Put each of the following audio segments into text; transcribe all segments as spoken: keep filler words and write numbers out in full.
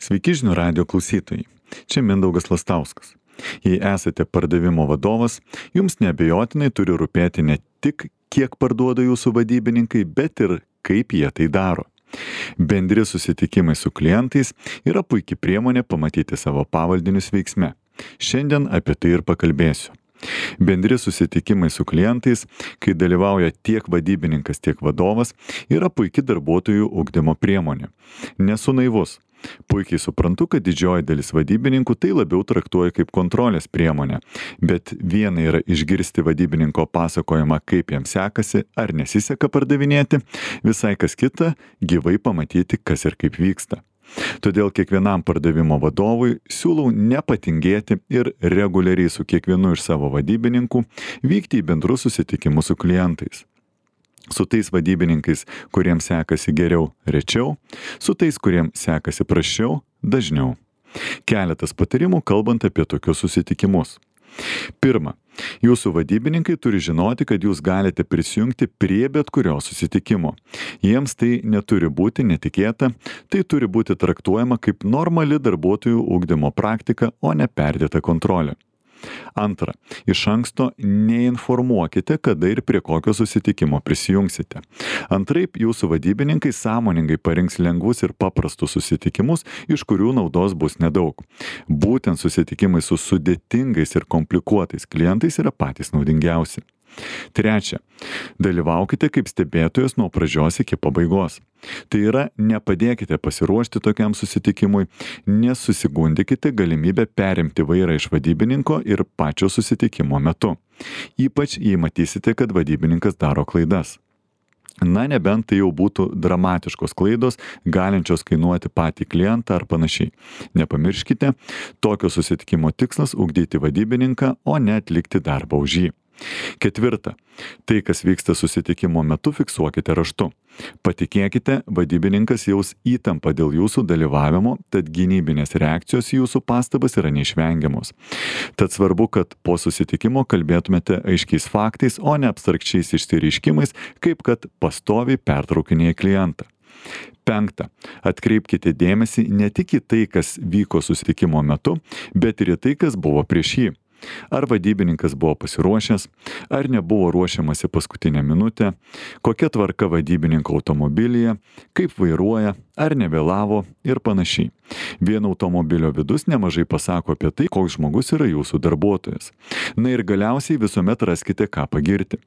Sveiki žinių radijo klausytojai. Čia Mindaugas Lastauskas. Jei esate pardavimo vadovas, jums neabejotinai turi rūpėti ne tik, kiek parduoda jūsų vadybininkai, bet ir kaip jie tai daro. Bendri susitikimai su klientais yra puikia priemonė pamatyti savo pavaldinius veiksme. Šiandien apie tai ir pakalbėsiu. Bendri susitikimai su klientais, kai dalyvauja tiek vadybininkas, tiek vadovas, yra puikia darbuotojų ugdymo priemonė. Nesu naivus. Puikiai suprantu, kad didžioji dalis vadybininkų tai labiau traktuoja kaip kontrolės priemonę, bet viena yra išgirsti vadybininko pasakojimą, kaip jam sekasi ar nesiseka pardavinėti, visai kas kita gyvai pamatyti, kas ir kaip vyksta. Todėl kiekvienam pardavimo vadovui siūlau nepatingėti ir reguliariai su kiekvienu iš savo vadybininkų vykti į bendrus susitikimus su klientais. Su tais vadybininkais, kuriems sekasi geriau, rečiau, su tais, kuriems sekasi prasčiau, dažniau. Keletas patarimų kalbant apie tokius susitikimus. Pirma, jūsų vadybininkai turi žinoti, kad jūs galite prisijungti prie bet kurio susitikimo. Jiems tai neturi būti netikėta, tai turi būti traktuojama kaip normali darbuotojų ugdymo praktika, o ne perdėta kontrolė. Antra, iš anksto neinformuokite, kada ir prie kokio susitikimo prisijungsite. Antraip, jūsų vadybininkai sąmoningai parinks lengvus ir paprastus susitikimus, iš kurių naudos bus nedaug. Būtent susitikimai su sudėtingais ir komplikuotais klientais yra patys naudingiausi. Trečia, dalyvaukite kaip stebėtojas nuo pradžios iki pabaigos. Tai yra, nepadėkite pasiruošti tokiam susitikimui, nesusigundykite galimybę perimti vairą iš vadybininko ir pačio susitikimo metu. Ypač jei matysite, kad vadybininkas daro klaidas. Na, nebent tai jau būtų dramatiškos klaidos, galinčios kainuoti patį klientą ar panašiai. Nepamirškite, tokio susitikimo tikslas ugdyti vadybininką, o ne atlikti darbą už jį. Ketvirta, tai, kas vyksta susitikimo metu, fiksuokite raštu. Patikėkite, vadybininkas jaus įtampą dėl jūsų dalyvavimo, tad gynybinės reakcijos į jūsų pastabas yra neišvengiamos. Tad svarbu, kad po susitikimo kalbėtumėte aiškiais faktais, o ne abstrakčiais išsireiškimais, kaip kad pastoviai pertraukinėja klientą. Penkta, atkreipkite dėmesį ne tik į tai, kas vyko susitikimo metu, bet ir į tai, kas buvo prieš jį. Ar vadybininkas buvo pasiruošęs, ar nebuvo ruošiamasi paskutinę minutę, kokia tvarka vadybininko automobilyje, kaip vairuoja, ar nevėlavo ir panašiai. Vien automobilio vidus nemažai pasako apie tai, koks žmogus yra jūsų darbuotojas. Na ir galiausiai visuomet raskite ką pagirti.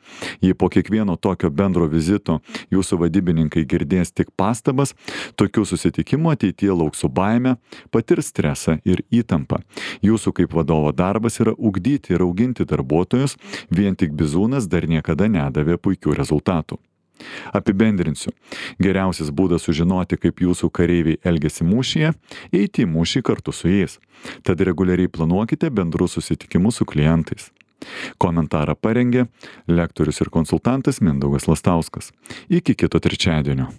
Jei po kiekvieno tokio bendro vizito jūsų vadybininkai girdės tik pastabas, tokių susitikimų ateityje lauks su baime, patirs stresą ir įtampą. Jūsų kaip vadovo darbas yra ugdyti ir auginti darbuotojus, vien tik bizūnas dar niekada nedavė puikių rezultatų. Apibendrinsiu. Geriausias būdas sužinoti, kaip jūsų kareiviai elgiasi mūšyje, eiti į mūšį kartu su jais. Tad reguliariai planuokite bendrus susitikimus su klientais. Komentarą parengė lektorius ir konsultantas Mindaugas Lastauskas. Iki kito trečiadienio.